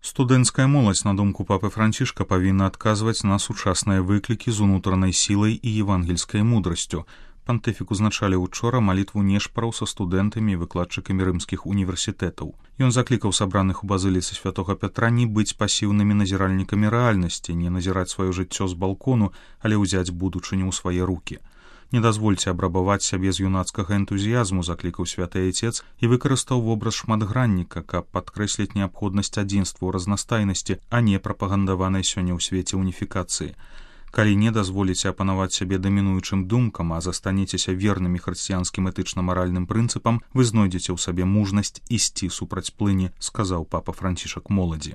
Студэнцкая моладзь, на думку папы Францішка, павінна адказваць на сучасныя выклікі з унутранай сілай і евангельскай мудрасцю. Пантыфік узначаліў учора малітву нешпараў са студэнтамі і выкладчыкамі рымскіх універсітэтаў. Ён заклікаў сабраных у базыліцы святога Пятра не быць пасіўнымі назіральнікамі рэальнасці, не назіраць сваё жыццё з балкону, але ўзяць будучыню ў свае рукі. Не дазвольце абрабаваць сябе з юнацкага энтузіязму, заклікаў святы айцец і выкарыстаў вобраз шматгранніка, каб падкрэсліць неабходнасць адзінства ў разнастайнасці, а не прапагандаванай сёння ў свеце уніфікацыі. Калі не дазволіце апанаваць сябе дамінуючым думкам, а застанецеся вернымі хрысціянскім этычна-маральным прынцыпам, вы знойдзеце ў сабе мужнасць ісці супраць плыні, сказаў папа Францішак моладзі.